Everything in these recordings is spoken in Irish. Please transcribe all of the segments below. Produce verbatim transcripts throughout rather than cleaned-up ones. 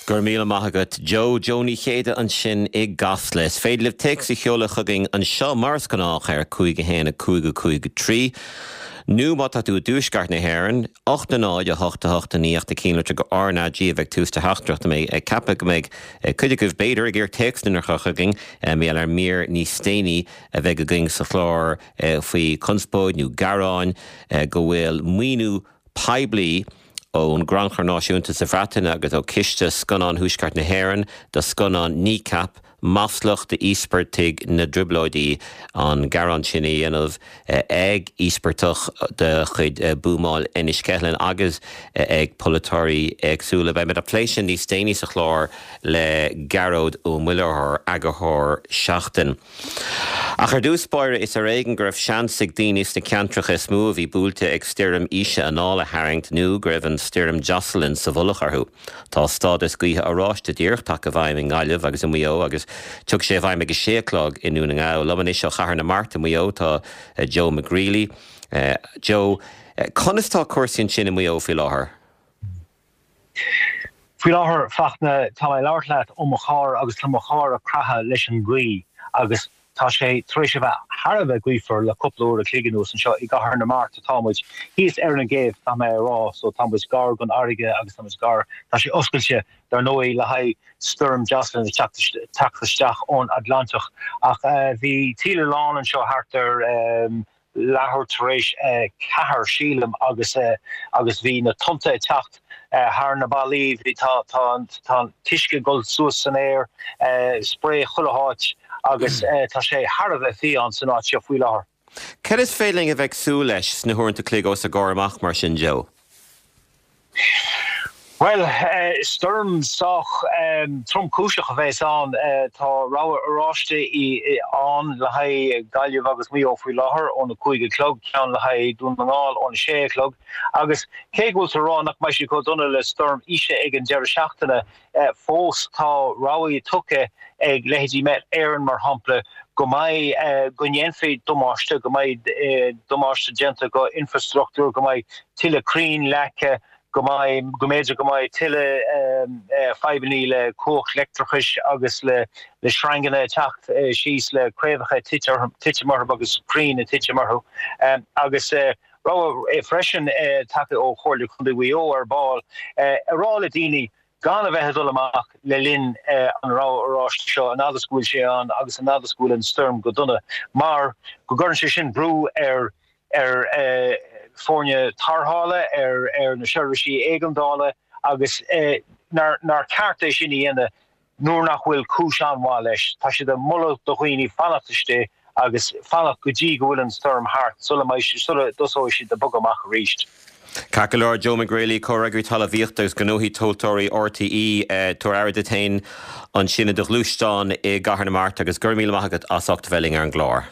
Go raibh míle maith agat Joe Joe Ní Chéide ansin i gCasla. Is féidir libh téacs a sheoladh chugainn anseo mar is gnách ar cúig a haon a cúig a cúig a trí. Nó má tá tú i dtuaisceart na hÉireann, ocht a náid a hocht a hocht a naoi ach tabhair cinnte go RnaG a bheidh tús do theachtaireacht mé ag ceapadh go mbeidh cuid agaibh b'fhéidir ag iarraidh téacs a chur chugainn mar gheall ar mír níos déanaí a bheidh againn sa chlár faoi conspóid nó gearáin go bhfuil maoiniú poiblí ón gCrannchur Náisiúnta sa Bhreatain agus ó Chiste Scannán Thuaisceart na hÉireann do scannán Kneecap maslach d'íospartaigh na dTrioblóidí an gearán sin a dhéanamh ag íospartach de chuid buamáil Enniskillen agus ag polaiteoirí éagsúla. Beidh ag plé sin níos déanaí sa chlár le Gearóid Ó Muilleoir eagarthóir Seachtain. Ach ar dtús báire is ar éigean go raibh seans ag daoine sna ceantracha is mó a bhí buailte ag stoirm Isha anáil a tharraingt nó go raibh an stoirm Jocelyn sa mhullach orthu. Tá stádas gaoithe oráiste díreach tagtha i bhfeidhm i nGaillimh agus i Maigh Eo agus tiocfaidh sé i bhfeidhm ag a sé a chlog i nDún na nGall. Liom anois ó Chathair na Mart i Maigh Eo tá Joe McGreely. Uh, Joe, conas tá cúrsaí ansin i Maigh Eo faoi láthair? Faoi láthair Fachtna tá mé ag labhairt leat ó mo charr agus tá mo charr ag creathadh leis an ghaoth agus tá sé tar éis a bheith thar a bheith gaofar le cúpla uair a chloig anuas anseo i gCathair na Mart atá muid thíos ar an gcéibh tá mé ag rá so tá muid gar don fharraige agus tá muid gar tá sé oscailte dar ndóigh le haghaidh stoirm Jocelyn teacht isteach ón Atlantach ach uh, bhí taoille lán anseo thart ar um, leathuair tar éis uh, ceathair sílim agus uh, agus bhí na tonnta ag teacht uh, thar na ballaí bhí tá tá tá t-uisce ag dul suas san aer uh, spré chuile áit agus uh, tá sé thar a bheith fiáin san áit seo faoi láthair. Cad is féidir linn a bheith ag súil leis sna huaireanta chloig os ár gcomhair amach mar sin Joe? Well uh, stoirm sách um, tromchúiseach a bheas ann uh, tá rabhadh oráiste i ann le haghaidh Gaillimh agus Maigh Eo faoi láthair óna cúig a chlog ceann le haghaidh Dún na nGall óna sé a chlog agus cé go bhfuil rá nach mbeidh sé chomh dona le stoirm Isha ag an deireadh seachtaine uh, fós tá rabhadh tugtha ag leithéidí Met Éireann mar shampla go mbeidh uh, go ndéanfaí damáiste go mbeidh uh, damáiste déanta go infrastruchtúr go mbeidh tuilleadh crainn leagtha go mbeidh go mb'fhéidir go mbeidh tuilleadh um, uh, fadhbanna le cumhacht leictreachais agus le le sreanganna teacht uh, síos le craobhacha titim orthu agus crainn titim orthu um, agus uh, rabhadh freisin uh, tagtha ó Chomhairle Contae Mhaigh Eo ar ball uh, a rá le daoine gan a bheith ag dul amach le linn uh, an rabhadh oráiste seo an fhad is go bhfuil sé ann agus an fhad is go bhfuil an stoirm go dona mar go gcuireann sé sin brú ar ar uh, foirne tarrthála ar ar na seirbhísí éigeandála agus eh, nár nár cheart é sin a dhéanamh nuair nach bhfuil cúis an-mhaith leis Tá siad ag moladh do dhaoine fanacht istigh agus fanacht go dtí go bhfuil an stoirm thart sula sula dtosóidh siad ag bogadh amach arís. Ceart go leor Joe McGreely comhfhreagraí talmhaíochta agus gnóthaí tomhaltóirí RTÉ tabhair aire duit féin ansin i do ghluaisteán i gCathair na Mart agus go raibh míle maith agat as ucht a bheith linn ar an gclár.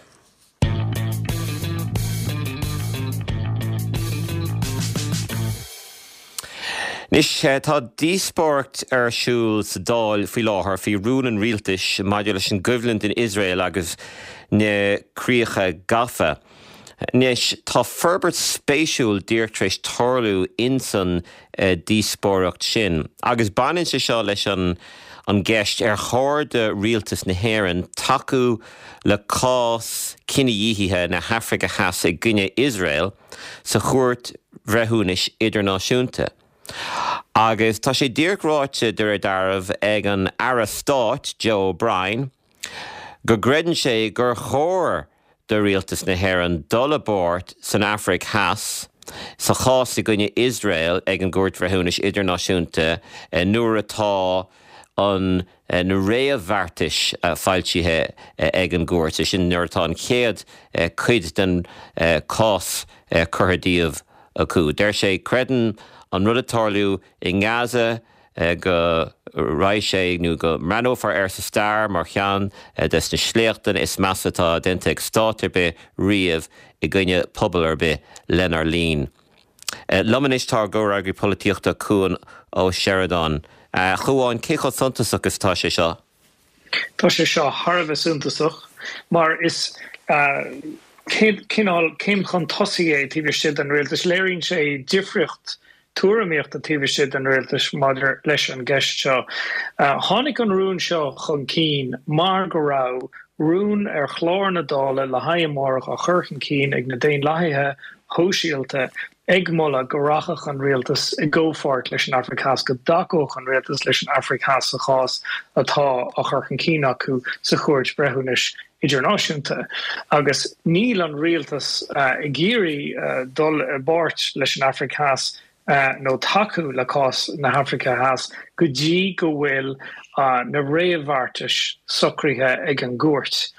Anois tá díospóireacht ar siúl sa Dáil faoi láthair faoi rún an rialtais maidir leis an gcoimhlint in Iosrael agus na críocha gafa. Anois tá forbairt spéisiúil díreach tar éis tarlú insan díospóireacht sin. Agus baineann sé seo leis an an gceist ar chóir do rialtas na hÉireann tacú le cás cinedhíothaithe na hAfraice Theas i gcoinne Iosrael sa chúirt bhreithiúnais idirnáisiúnta. Agus tá sé díreach ráite de réir dealraimh ag an Aire Stáit Joe O'Brien go gcreideann sé gur chóir do rialtas na hÉireann dul i bpáirt san Afraic Theas sa chás i gcoinne Iosrael ag an gCúirt Bhreithiúnais Idirnáisiúnta nuair atá an na réamhbheartais foilsithe ag an gcúirt, é sin nuair atá an chéad cuid den cás curtha díobh acu. Deir sé creideann an rud atá ag tarlú i nGaza go raibh sé nó go mbreathnófar air sa stair mar cheann des na sléachtanna is measa atá déanta ag stát ar bith riamh i gcoinne pobal ar bith lenár linn. Liom anois tá ár gcomhfhreagraí polaitíochta Cuan Ó Seireadáin. A Chuain cé chomh suntasach is atá sé seo? Tá sé seo thar a bheith suntasach mar is cineál céim chun tosaigh é taobh istigh den rialtas. Léiríonn sé difríocht tuairimíochta taobh istigh den rialtas maidir leis an gceist seo. Tháinig an rún seo chun cinn mar go raibh rún ar chlár na Dála le haghaidh amárach á chur chun cinn ag na Daonlathaithe Shóisialta ag moladh go rachadh an rialtas i gcomhpháirt leis an Afraic Theas, go dtacódh an rialtas leis an Afraic Theas sa chás atá á chur chun cinn acu sa Chúirt Bhreithiúnais Idirnáisiúnta. Agus níl an rialtas ag iarraidh dul i bpáirt leis an Afraic Theas nó tacú le cás na hAfraice Theas go dtí go bhfuil na réamhbheartais socraithe ag an gcúirt.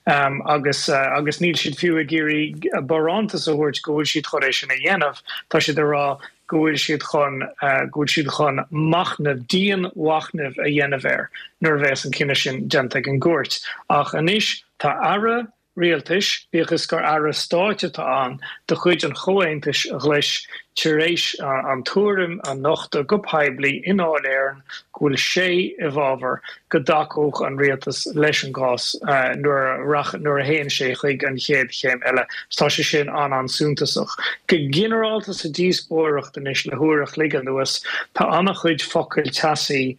Agus agus níl siad fiú ag iarraidh barántas a thabhairt go bhfuil siad chun é sin a dhéanamh, tá siad ag rá go bhfuil siad chun go bhfuil siad chun machnamh, dianmhachnamh a dhéanamh air nuair a bheas an cinneadh sin déanta ag an gcúirt. Ach anois tá aire rialtais, bíodh is gur aire stáit atá ann de chuid an Chomhaontais Ghlais, tar éis an tuairim a nochtadh go poiblí i nDáil Éireann go bhfuil sé i bhfabhar go dtacódh an rialtas leis an gcás nuair a nuair a théann sé chuig an chéad chéim eile. Tá sé sin an-an-suntasach. Go ginearálta sa díospóireacht anois le huair a chloig anuas, tá an-chuid focail teasaí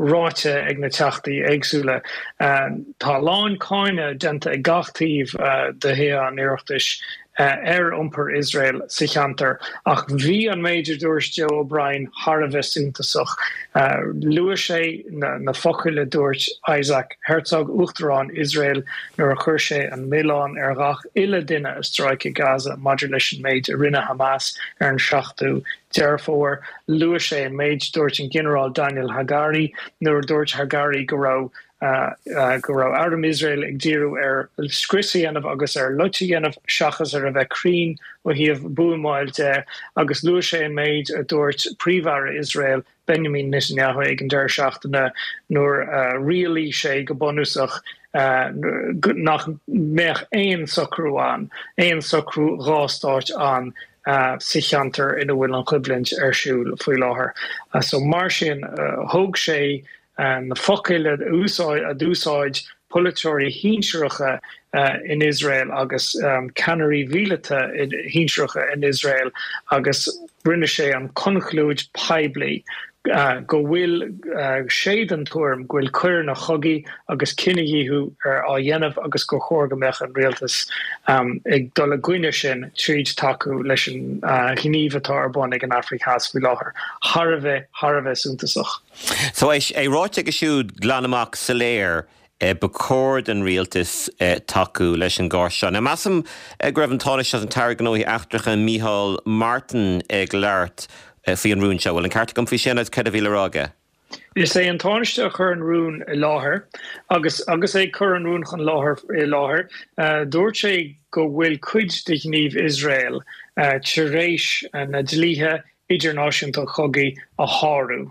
ráite ag na Teachtaí éagsúla. Tá a lán cáineadh déanta ag gach taobh de Thithe an Oireachtais ar iompar Iosrael sa cheantar, ach bhí an méid a dúirt Joe O'Brien thar a bheith suntasach. Luaigh sé na focail a dúirt Isaac Herzog, Uachtarán Iosrael, nuair a chuir sé an milleán ar ghach uile duine i Stráice Gaza maidir leis an méid a rinne Hamas ar an seachtú Deireadh Fómhair. Luaigh sé an méid a dúirt an Ginearál Daniel Hagari nuair a dúirt Hagari go raibh go raibh arm Iosrael ag díriú ar scrios a dhéanamh agus ar loit a dhéanamh seachas ar a bheith cruinn ó thaobh buamáil de agus luaigh sé an méid a dúirt Príomh-Aire Iosrael Benjamin Netanyahu ag an deireadh seachtaine nuair a rialaigh sé go bunúsach nach mbeadh aon socrú ann, aon socrú dhá stáit ann sa cheantar ina bhfuil an choimhlint ar siúl faoi láthair. So mar sin, thóg sé na focail a d'úsáid polaiteoirí shinsearacha in Iosrael agus ceannairí mhíleata shinsearacha in Iosrael agus rinne sé an conclúid poiblí go bhfuil sé den tuairim go bhfuil coireanna chogaidh agus cinedhíothú á dhéanamh agus gur chóir go mbeadh an rialtas ag dul i gcoinne sin tríd tacú leis an ghníomh atá ar bun ag an Afraic Theas faoi láthair. Thar a bheith, thar a bheith suntasach. So é ráite aige siúd glan amach soiléir ba chóir don rialtas tacú leis an gcás seo. Now measaim go raibh an Tánaiste agus an tAire Gnóthaí Eachtracha Micheál Martin ag labhairt faoi an rún seo. Bhfuil an ceart agam faoi sin agus céard a bhí le rá aige? Is é an Tánaiste a chuir an rún i láthair agus agus é ag cur an rún chun láthair i láthair, dúirt sé go bhfuil cuid de ghníomh Iosrael tar éis na dlíthe idirnáisiúnta chogaidh a shárú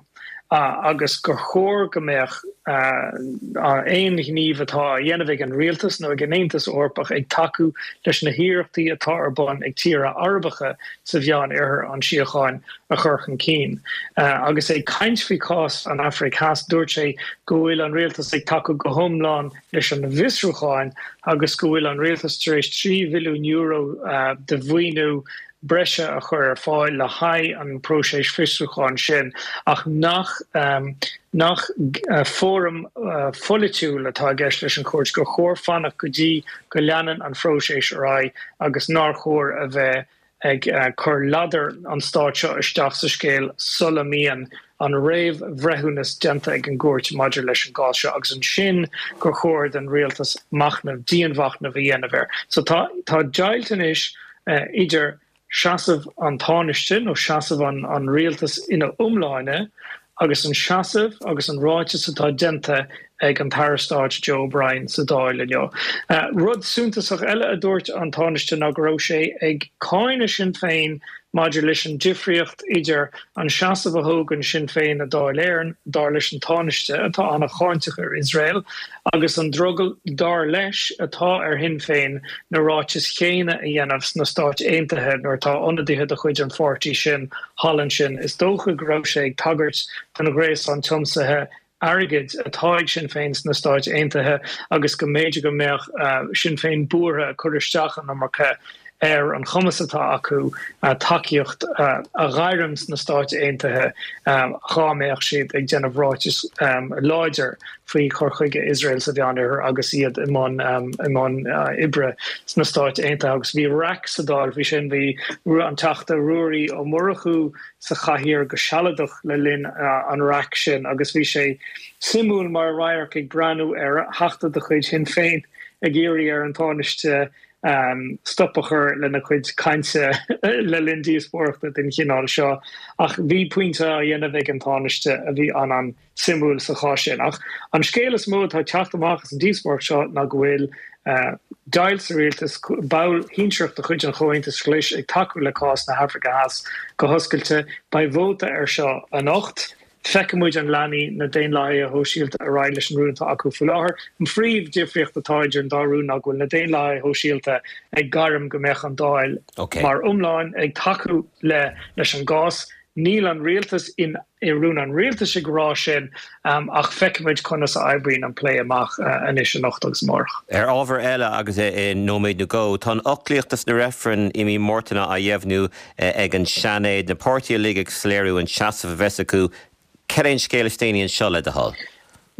agus gur chóir go mbeadh aon ghníomh atá á dhéanamh ag an rialtas nó ag an Aontas Eorpach ag tacú leis na hiarrachtaí atá ar bun ag tíortha Arabacha sa Mheán-Oirthear an síocháin a chur chun cinn. Agus é ag caint faoi chás an Afraic Theas, dúirt sé go bhfuil an rialtas ag tacú go hiomlán leis an bhfiosrúchán agus go bhfuil an rialtas tar éis trí bhilliún euro de mhaoiniú breise a chur ar fáil le haghaidh an próiseas fiosrúcháin sin ach nach nach fóram pholaitiúil atá i gceist leis an chúirt, gur chóir fanacht go dtí go leanann an phróiseas ar aghaidh agus nár chóir a bheith ag cur ladar an stáit seo isteach sa scéal sula mbíonn an réamhbhreithiúnas déanta ag an gcúirt maidir leis an gcás seo agus ansin gur chóir don rialtas machnamh, dianmhachnamh a dhéanamh air. So tá tá deighilt anois idir seasamh an Tánaiste nó seasamh an an rialtas ina iomláine agus an seasamh agus an ráiteas atá déanta ag an tAire Stáit Joe O'Brien sa Dáil inniu. Rud suntasach eile a dúirt an Tánaiste ná go raibh sé ag cáineadh Sinn Féin maidir leis an difríocht idir an seasamh a thógann Sinn Féin i Dáil Éireann, dar leis an Tánaiste, atá an-cháinteach ar Iosrael, agus an drogall, dar leis, atá ar Shinn Féin na ráitis chéanna a dhéanamh sna Stáit Aontaithe nuair atá ionadaithe de chuid an pháirtí sin thall ansin. Is dócha go raibh sé ag tagairt don ghréasán tiomsaithe airgid atá ag Sinn Féin sna Stáit Aontaithe agus go mb'fhéidir go mbeadh Sinn Féin buartha ag cur isteach an iomarca ar an chumas atá acu tacaíocht a ghairm sna Stáit Aontaithe dá mbeadh siad ag déanamh ráiteas láidir faoi chur chuige Iosrael sa Mheánoirthear agus iad i mbun i mbun oibre sna Stáit Aontaithe. Agus bhí raic sa Dáil faoi sin, bhí an Teachta Ruairí Ó Murchú sa chathaoir go sealadach le linn an raic sin agus bhí sé suimiúil mar radharc ag breathnú ar theachta de chuid Shinn Féin ag iarraidh ar an Tánaiste stop a chur lena chuid cainte le linn díospóireachta den chineál seo. Ach bhí pointe á dhéanamh ag an Tánaiste a bhí an-an-suimiúil sa chás sin. Ach an scéal is mó atá ag teacht amach as an díospóireacht seo ná go bhfuil deighilt sa rialtas, baill shinsearach de chuid an Chomhaontais Ghlais ag tacú le cás na hAfraice Theas go hoscailte. Beidh vóta air seo anocht. Feicfidh muid an leanfaidh na Daonlathaithe Shóisialta ar aghaidh leis an rún atá acu faoi láthair. An phríomhdhifríocht atá idir an dá rún ná go bhfuil na Daonlathaithe Shóisialta ag gairm go mbeadh an Dáil mar iomlán ag tacú le leis an gcás. Níl an rialtas in i rún an rialtais ag rá sin ach feicfidh muid conas a oibríonn an plé amach anois anocht agus amárach. Ar ábhar eile agus i nóiméad nó dhó, tá an fhoclaíocht dos na reifrinn i mí Márta á dheimhniú ag an Seanad, na páirtithe uilig ag soiléiriú an seasamh a bheas acu. Cad é an scéal is déanaí anseo le do thoil?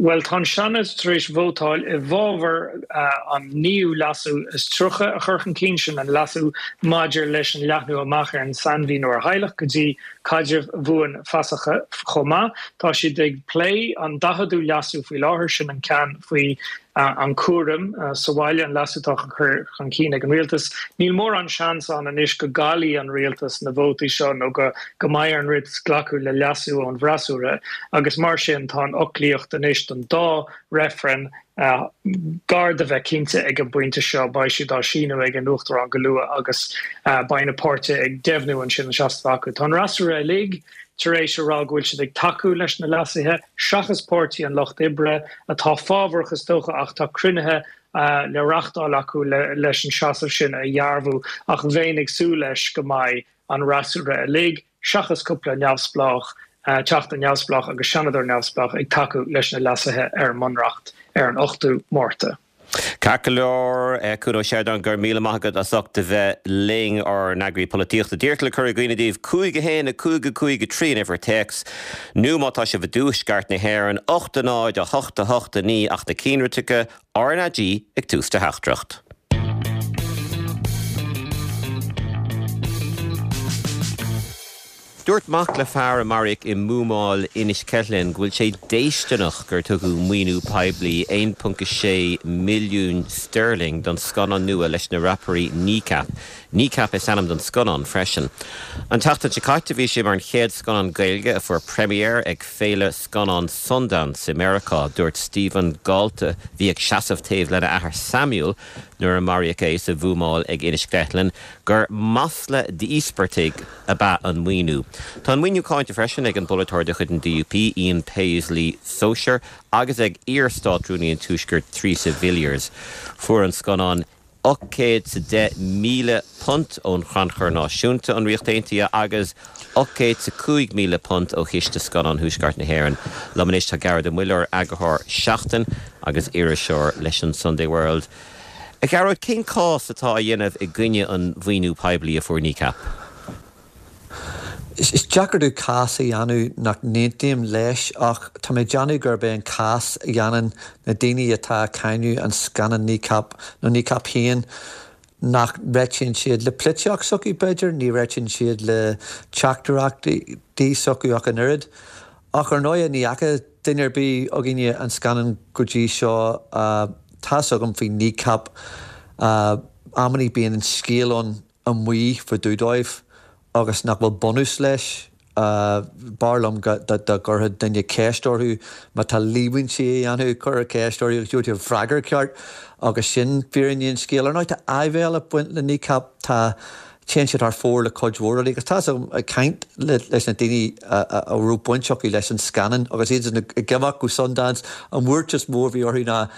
Bhuel, tá an Seanad tar éis vótáil i bhfabhar an naoú leasú is tríocha a chur chun cinn, sin an leasú maidir leis an leathnú amach ar an sainmhíniú ar theaghlach go dtí caidrimh bhuanfheasacha chomh maith. Tá siad ag plé an daicheadú leasú faoi láthair, sin an ceann faoi an cúram sa bhaile, an leasú atá á chur chun cinn ag an rialtas. Níl mórán seans ann anois go gcaillfidh an rialtas na vótaí seo nó go go mbeidh ar an rialtas glacadh le leasú ón bhfreasúra agus mar sin tá an fhoclaíocht anois don dá reifreann gar do bheith cinnte ag an bpointe seo. Beidh siad á síniú ag an Uachtarán go luath agus beidh na páirtithe ag deimhniú ansin an seasamh acu. Tá an fhreasúra uilig tar éis a rá go bhfuil siad ag tacú leis na leasuithe, seachas Páirtí an Lucht Oibre, atá fábharach is dócha ach tá cruinnithe le reáchtáil acu leis an seasamh sin a dhearbhú ach bheinn ag súil leis go mbeidh an fhreasúra uilig, seachas cúpla neamhspleách, teachta neamhspleách agus seanadóir neamhspleách ag tacú leis na leasuithe ar an mBunreacht ar an ochtú Márta. Ceart go leor, Cuan Ó Seireadáin, go raibh míle maith agat as ucht a bheith linn, ár n-eagraí polaitíochta. Díreach le cur i gcuimhne daoibh, cúig a haon, a cúig a cúig a trí an uimhir téacs, nó má tá sibh i dtuaisceart na hÉireann, ocht a náid, a hocht a hocht a naoi ach na cinnlitreacha RnaG ag tús do theachtaireacht. Dúirt mac le fear a maraíodh i mbuamáil Inis Ceithleann go bhfuil sé déistineach gur tugadh maoiniú poiblí aon ponc a sé milliún sterling don scannán nua leis na rapairí Kneecap. Kneecap is ainm don scannán freisin. An tseachtain seo caite bhí sé mar an chéad scannán Gaeilge a fuair premiere ag Féile Scannán Sundance i Meiriceá. Dúirt Stephen Galt, a bhí ag seasamh taobh lena athair Samuel nuair a maraíodh é sa bhuamáil ag Inis Ceithleann, gur masla d'íospartaigh ab ea an maoiniú. Tá an maoiniú cáinte freisin ag an bpolaiteoir de chuid an D U P, Ian Paisley Sóisear, agus ag iar-Státrúnaí an Tuaiscirt Theresa Villiers. Fuair an scannán ocht gcéad 's a deich míle punt ón Chrannchur Náisiúnta, an Ríocht Aontaithe, agus ocht gcéad 's a cúig míle punt ó Chiste Scannán Thuaisceart na hÉireann. Liom anois tá Gearóid Ó Muilleoir, eagarthóir Seachtain agus iriseoir leis an Sunday World. A Ghearóid, cén cás atá á dhéanamh i gcoinne an mhaoiniú poiblí a fuair Kneecap? Is deacair domh cás a dhéanamh nach n-aontaím leis ach tá mé ag déanamh gurb é an cás a dhéanann na daoine atá ag cáineadh an scannán Kneecap nó Kneecap féin nach réitíonn siad le polaitíocht s'acu b'fhéidir, ní réitíonn siad le teachtaireachtaí s'acu ach an oiread. Ach ar ndóigh ní fhaca duine ar bith againne an scannán go dtí seo. Tá's agam faoi Kneecap, amannaí bíonn an scéal ann amuigh fá dtaobh dóibh agus nach bhfuil bunús leis. B'fhearr liom dá gcuirfeadh duine ceist orthu má tá líomhaintí á dhéanamh, cuir ceist orthu agus gheobhaidh tú an freagra ceart agus sin fírinne an scéil. Ar ndóigh tá áibhéil ag baint le Kneecap, tá, téann siad thar fóir le cuid mhór rudaí agus tá's agam ag caint leis na daoine a raibh baint acu leis an scannán agus iad ag imeacht go Sundance, an bhuairt is mó a bhí orthu ná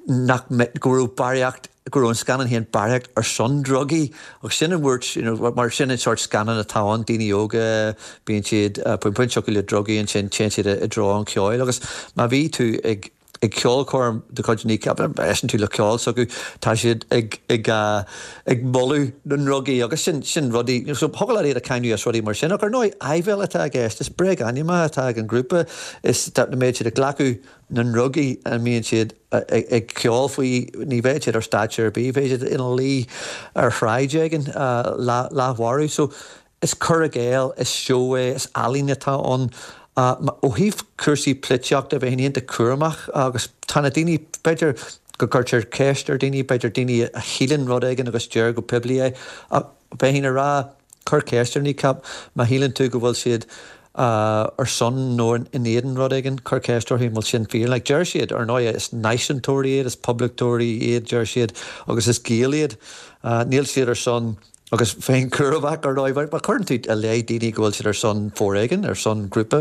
nach go raibh barraíocht, go raibh an scannán féin barraíocht ar son drugaí agus sin an bhuairt, you know, mar sin an sórt scannán atá ann, daoine óga, bíonn siad, bíonn baint acu le drugaí ansin téann siad i dtreo an cheoil agus má bhí tú ag ag ceolchoirm de chuid Kneecap, éisteann tú le ceol s'acu, tá siad ag ag ag moladh na ndrugaí agus sin sin rudaí, so thiocfadh leat iad a cháineadh as rudaí mar sin, ach ar ndóigh áibhéil atá i gceist, is bréagainmneacha atá ag an ngrúpa, is dá mbeadh siad ag glacadh na ndrugaí a mbíonn siad ag ceol faoi, ní bheadh siad ar stáitse ar bith, bheadh siad ina luí ar shráid éigin leathmharbh. So is cur i gcéill, is seó é, is ealaín atá ann. Ó thaobh cúrsaí polaitíochta, bheinn iontach cúramach agus tá na daoine, b'fhéidir go gcuirtear ceist ar dhaoine, b'fhéidir daoine a shíleann rud éigin agus deir go poiblí é, ach bheinn ag rá, cuir ceist ar Kneecap má shíleann tú go bhfuil siad ar son nó in éadan rud éigin, cuir ceist orthu an bhfuil sin fíor. Like, deir siad, ar ndóigh, is náisiúntóirí iad, is poblachtóirí iad, deir siad, agus is Gaeil iad. Níl siad ar son Agus bheinn cúramach, ar ndóigh, má chuireann tú i leith daoine go bhfuil siad ar son foréigin, ar son grúpa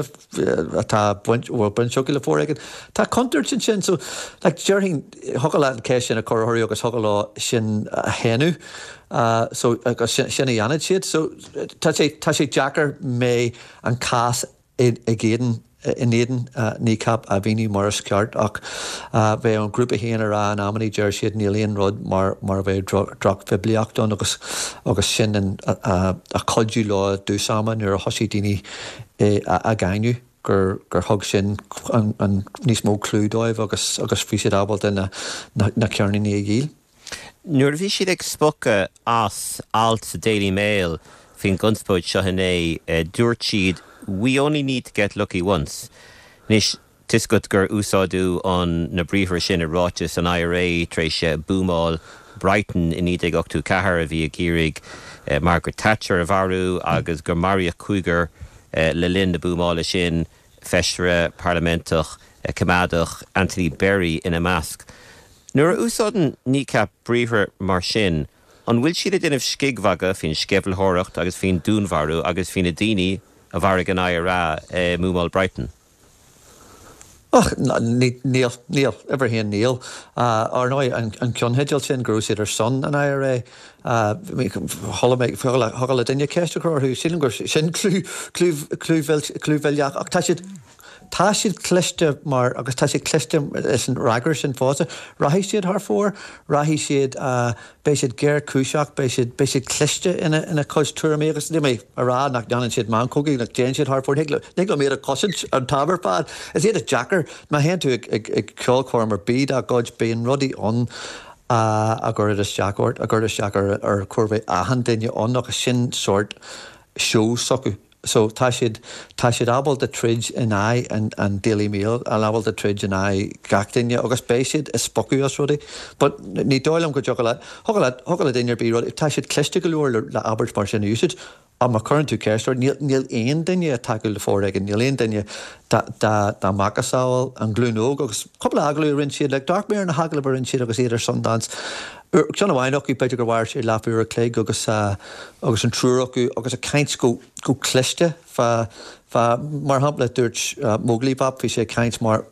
atá baint, bhfuil baint acu le foréigean, tá contúirt ansin. So, like, déarfainn, thiocfadh leat an cheist sin a chur orthu agus thiocfadh leo sin a shéanadh. So, agus sin a dhéanfaidh siad. So, tá sé, tá sé deacair mé an cás ag éadan in éadan Kneecap a mhíniú mar is ceart ach bheadh an grúpa féin ag rá in amannaí deir siad níl aon rud mar mar a bheadh drochphoiblíocht ann agus agus sin an a chuidigh leo i dtús ama nuair a thosaigh daoine á gcáineadh gur gur thug sin an an níos mó clú dóibh agus agus bhí siad ábalta na na ceirníní a dhíol. Nuair a bhí siad ag spochadh as alt sa Daily Mail faoin gconspóid seo inné, dúirt siad We only need to get lucky once. Anois, tá 'fhios agat gur úsáideadh an na briathra sin i ráiteas an IRA tar éis buamáil Brighton i naoi déag ochtó ceathair a bhí ag iarraidh Margaret Thatcher a mharú agus gur maraíodh cúigear le linn na buamála sin, feisire parlaiminteach coimeádach Anthony Berry ina measc. Nuair a úsáideann Kneecap briathra mar sin, an bhfuil siad ag déanamh scigmhagadh faoin sceimhlitheoireacht agus faoin dúnmharú agus faoi na daoine a mharaigh an IRA i mbuamáil Brighton? Och, níl, níl, uimhir a haon níl. Ar ndóigh, an ceannteideal sin go raibh siad ar son an IRA, chuala mé, thiocfadh le duine ceist a chur orthu, sílim gur sin clúmhilleach ach tá siad, Tá siad cliste mar, agus tá siad cliste leis an fhreagra sin fosta, rachaidh siad thar fóir, rachaidh siad, beidh siad géarchúiseach, beidh siad, beidh siad cliste ina, ina gcuid tuairimí agus níl mé a rá nach ndéanann siad meanchógaí, nach dtéann siad thar fóir, thig thig liom iad a chosaint an t-am ar fad. Is iad deacair, má théann tú ag, ag, ag ceolchoirm ar bith dá gcuid, bíonn rudaí ann a, a gcuireann isteach ort, a gcuireann isteach ar, ar chóir a bheith achan duine ann agus sin sórt seó s'acu. So tá siad, tá siad ábalta troid in aghaidh an, an Daily Mail, ábalta troid in aghaidh gach duine agus beidh siad ag spochadh as rudaí. But ní dóigh liom go dtiocfadh le, thiocfadh le, thiocfadh le duine ar bith rudaí, tá siad cliste go leor le, le abairt mar sin a úsáid. Ach má chuireann tú ceist orthu, níl, níl aon duine ag tacú le foréigean, níl aon duine dá, dá, dá macasamhail an ghlúin óg agus cúpla agallamh a rinne siad, like, d'amharc mé ar na hagallaimh a rinne siad agus iad ar Sundance. Ceann amháin acu, b'fhéidir gur mhair sé leathuair a chloig agus agus an triúr acu agus ag caint go go cliste fá fá mar shampla dúirt Móglaí Bap bhí sé ag caint mar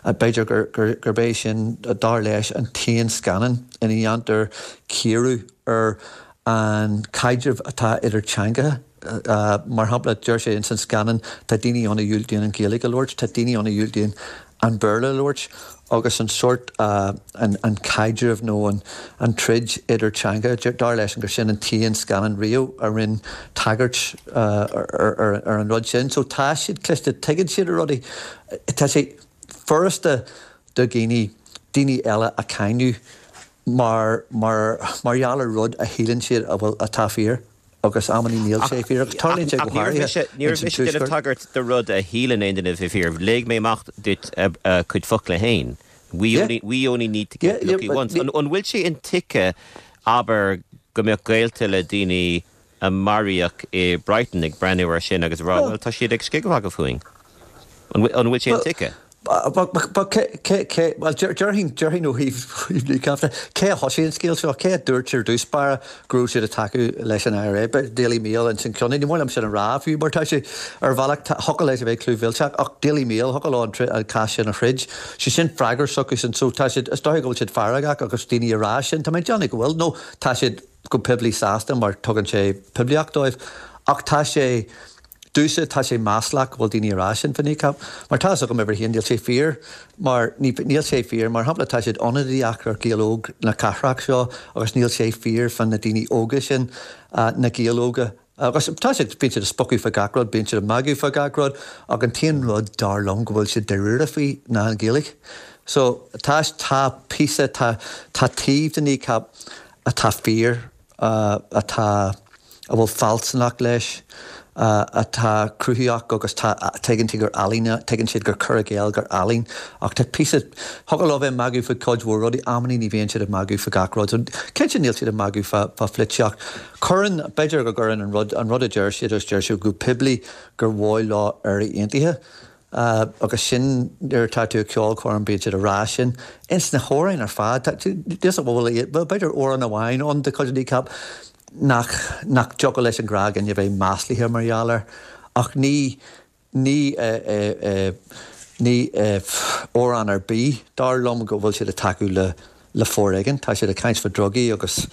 b'fhéidir gur gur gurb é sin dar leis an t-aon scannán ina dhéantar cíoradh ar an caidreamh atá idir teangacha. Mar shampla deir sé ins an scannán tá daoine ann a dhiúltaíonn an Ghaeilge a labhairt, tá daoine ann a dhiúltaíonn an Béarla a labhairt agus an sórt, an caidreamh nó an troid idir teanga, dar leis gur sin an t-aon scannán riamh a rinne tagairt ar an rud sin. So tá siad cliste, tuigeann siad na rudaí. Tá sé furasta do dhaoine, daoine eile a cháineadh mar, mar, mar gheall ar rud a shíleann siad a bhfuil, atá fíor. Agus amannaí níl sé fíor, agus tarlaíonn sé go háirithe Ní raibh mise ag déanamh tagairt do rud a shíleann aon duine a bheith fíor. Léigh mé amach duit a cuid focla féin. We only, we only need to get lucky once. An bhfuil sé intuigthe, abair, go mbeadh gaolta le daoine a maraíodh i Brighton ag breathnú air sin agus ag rá, bhuel, tá siad ag scigathmhagadh fúinn. An bhfuil sé intuigthe? Bhuel, déarfainn, déarfainn ó thaobh Kneecap de, cé a thosaigh an scéal seo? Cé a dúirt ar dtús báire go raibh siad ag tacú leis an IRA? Daily Mail ins an ceann. Ní maith liom sin a rá fiú mar tá sé ar bhealach, thiocfadh leis a bheith clúmhillteach ach Daily Mail, thiocfadh leo an cás sin a throid. Sé sin freagra s'acusan. So tá siad, is dóigh go bhfuil siad feargach agus daoine ag rá sin. Tá mé ag déanamh go bhfuil, nó tá siad go poiblí sásta mar tugann sé poiblíocht dóibh. Ach tá sé, Domhsa tá sé maslach go bhfuil daoine ag rá sin fá Kneecap, mar tá a fhios agam uimhir a haon níl sé fíor mar níl sé fíor mar shampla tá siad ionadaíoch ar Ghaeil óg na cathrach seo agus níl sé fíor fá na daoine óga sin, na Gaeil óga. Agus tá siad, bíonn siad ag spochadh fá gach rud, bíonn siad ag magadh fá gach rud ach an t-aon rud dar liom go bhfuil siad dáiríre faoi ná an Ghaeilge. So tá, tá píosa, tá, tá taobh de Kneecap atá fíor, atá, a bhfuil fealsúnacht leis, atá cruthaitheach agus tá, tuigeann tú gur ealaín, tuigeann siad gur cur i gcéill gur ealaín ach tá píosa, thiocfadh leo bheith ag magadh faoi cuid mhór rudaí, amannaí ní bhíonn siad ag magadh faoi gach rud. So cinnte níl siad ag magadh fá, fá pholaitíocht. Cuireann, b'fhéidir go gcuireann an rud, an rud a deir siad agus deir siad go poiblí gur mhaith leo Éire Aontaithe agus sin nuair atá tú ag ceolchoirm bíonn siad ag rá sin. Ins na hamhráin ar fad, tá, bhuel b'fhéidir amhrán amháin ann de chuid Kneecap, nach nach dtiocfadh leis an ghnáthdhuine a bheith maslaithe mar gheall air, ach ní ní ní amhrán ar bith, dar liom, go bhfuil siad ag tacú le le foréigean. Tá siad ag caint fá drugaí agus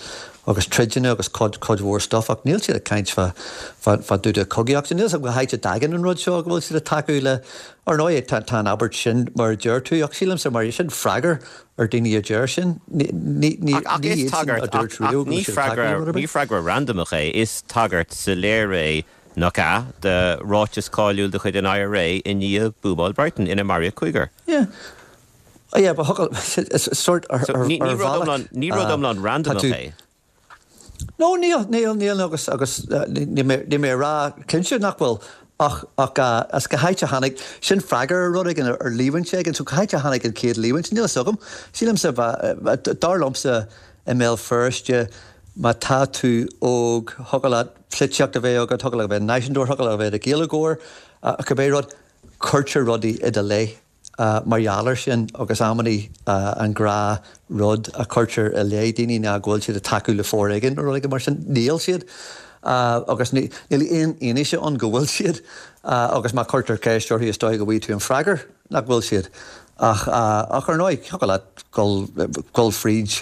agus troideanna agus cuid cuid mhór stuff ach níl siad ag caint fá fá fá dtaobh de chogaíocht. Níl 'fhios agam cá háit a dtagann an rud seo go bhfuil siad ag tacú le Ar ndóigh tá tá an abairt sin mar a deir tú ach sílimse mar sin freagra ar daoine a deir sin. Ní ní Ach ach ní is iadsan a tagairt ach dúirt ach riamh go ní bhfuil siad ag tacú le freagra rud ar ní bith. freagra randamach é, is tagairt soiléir é nach ea do ráiteas cáiliúil de chuid an IRA i ndiaidh buamáil Brighton ina maraíodh cúigear. Yeah. Oh yeah, but thiocfadh is sort ar So ar ní ní ar rud bhealach iomlán ní rud iomlán tá randamach tú é. No níl níl níl agus agus níl mé níl mé ag rá cinnte nach bhfuil ach ach as cá háit a tháinig sin freagra ar rud éigin ar líomhaint éigin so cá háit a tháinig an chéad líomhaint níl a fhios agam. Sílimse dar liomsa i mBéal Feirste má tá tú óg thiocfadh leat polaitíocht a bheith agat, thiocfadh leat a bheith náisiúntóir, thiocfadh leat a bheith i do Ghaeilgeoir, cibé rud, cuirtear rudaí i do leith. Mar gheall air sin agus amannaí an gnáth rud a chuirtear i leith daoine ná go bhfuil siad ag tacú le foréigean nó rud éigin mar sin, níl siad agus níl aon fhianaise ann go bhfuil siad agus má chuirtear ceist orthu is dóigh go bhfaighidh tú an freagra nach bhfuil siad. Ach ach ar ndóigh thiocfadh leat dul dul fríd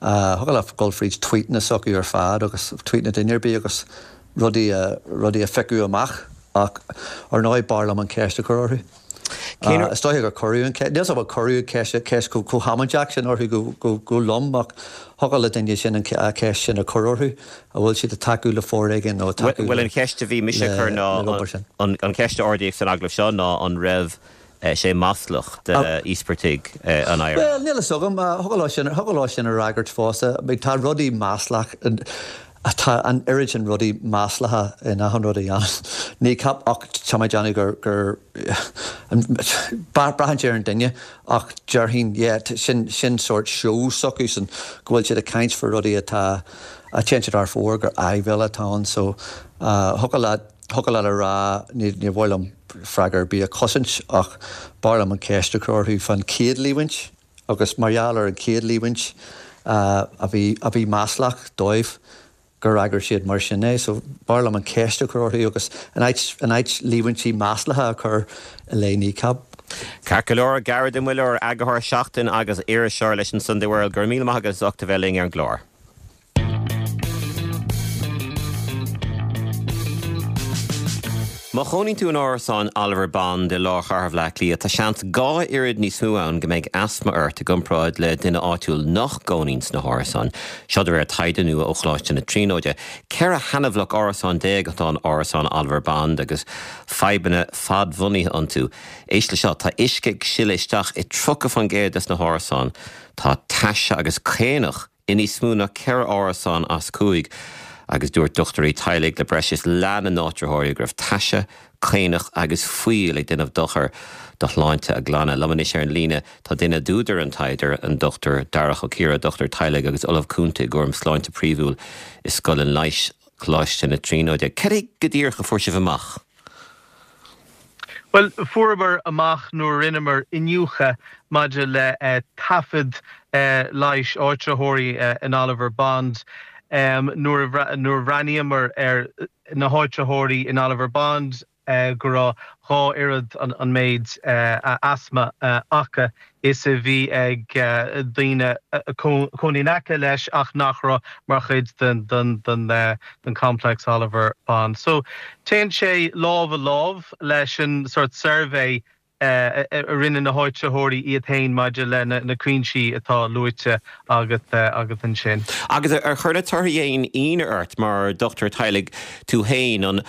thiocfadh leat dul fríd tweetanna s'acu ar fad agus tweetanna duine ar bith agus rudaí a rudaí a phiocadh amach ach ar ndóigh b'fhearr liom an ceist a chur orthu. Cén Is dóiche gur cuireadh an ceist, níl 's agam an cuireadh ceist ceist chomh chomh hamaideach sin orthu go go go lom ach thiocfadh le duine sin an ceist sin a chur orthu, an bhfuil siad ag tacú le foréigean nó ag tacú Bhuel le an cheist a bhí mise a le chur ná le obair sin. an an ceist a ardaíodh san agallamh seo ná an raibh sé maslach d'íospartaigh an IRA. Bhuel níl a fhios agam, thiocfadh leo sin thiocfadh leo sin a fhreagairt fosta. Tá rudaí maslach Tá an oiread sin rudaí maslacha in achan rud a dhéanann Kneecap ach tá mé ag déanamh gur, gur, braitheann sé ar an duine ach déarfainn yeah sin, sin sórt seó s'acusan go bhfuil siad ag caint faoi rudaí atá, a téann siad thar fóir gur áibhéil atá ann so thiocfadh leat, thiocfadh leat a rá ní, ní mhaith liom freagra ar bith a chosaint ach b'fhearr liom an ceist a chur orthu fán chéad líomhaint agus mar gheall ar an chéad líomhaint a bhí, a bhí maslach dóibh gur fhreagair siad mar sin é. So b'fhearr liom an ceist a chur orthu agus in áit, in áit líomhaintí maslacha a chur i leith Kneecap. Ceart go leor, Gearóid Ó Muilleoir, eagarthóir Seachtain agus iriseoir leis an Sunday World, go raibh míle maith agat as ucht a bheith linn ar an gclár. Má chónaíonn tú in árasán Oliver Bond i lár chathair Bhaile Átha Cliath, tá seans dhá oiread níos mó ann go mbeidh asma ort i gcomparáid le duine áitiúil nach gcónaíonn sna hárasáin. Seo de réir taighde nua ó Choláiste na Tríonóide. Ceithre sheanbhloc árasán déag atá in árasán Oliver Bond agus fadhbanna fadbhunaithe iontu. Éist le seo, tá uisce ag sileadh isteach i tríocha faoin gcéad des na hárasáin. Tá taise agus caonach i níos mó ná ceithre árasán as cúig, agus dúirt dochtúirí teaghlaigh le breis is leath na n-áitritheoirí go raibh taise, caonach agus fuíoll ag déanamh dochair do shláinte a gclainne. Liom anois ar an líne tá duine d'údair an taighde, an Dochtúir Darach Ó Ciardha, dochtúir teaghlaigh agus Ollamh Cúnta i gcúram sláinte príomhúil i Scoil an Leighis, Coláiste na Tríonóide. Cad é go díreach a fuair sibh amach? Bhuel, fuaireamar amach nuair a rinneamar iniúchadh maidir le taifead leighis áitritheoirí in Oliver Bond, nuair a bhreathnaíomar ar na háitritheoirí in Oliver Bond go raibh dhá oiread an méid asma acu is a bhí ag daoine a chónaigh in aice leis ach nach raibh mar chuid den den den den complex Oliver Bond. So téann sé lámh i lámh leis an sort suirbhé a rinne na háitritheoirí iad féin maidir le na cúinsí atá luaite agat agat ansin. Agus ar chuir na torthaí aon ionadh ort mar dochtúir teaghlaigh tú féin an